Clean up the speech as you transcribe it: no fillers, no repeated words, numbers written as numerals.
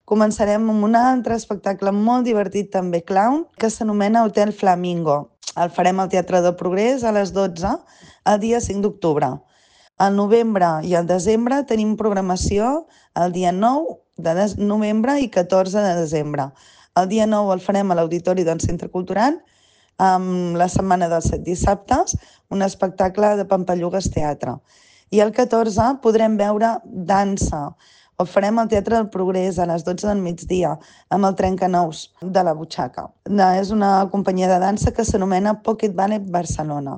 començarem amb un altre espectacle molt divertit també clown que s'anomena Hotel Flamingo. El farem al Teatre del Progrés a les 12 el dia 5 d'octubre. Al novembre i al desembre tenim programació el dia 9 de novembre i 14 de desembre. El dia 9 el farem a l'Auditori del Centre Cultural amb la setmana dels 7 dissabtes, un espectacle de Pampallugues Teatre. I el 14 podrem veure dansa. Ho farem al Teatre del Progrés a les 12 del migdia amb el Trencanous de la Butxaca. És una companyia de dansa que s'anomena Pocket Ballet Barcelona.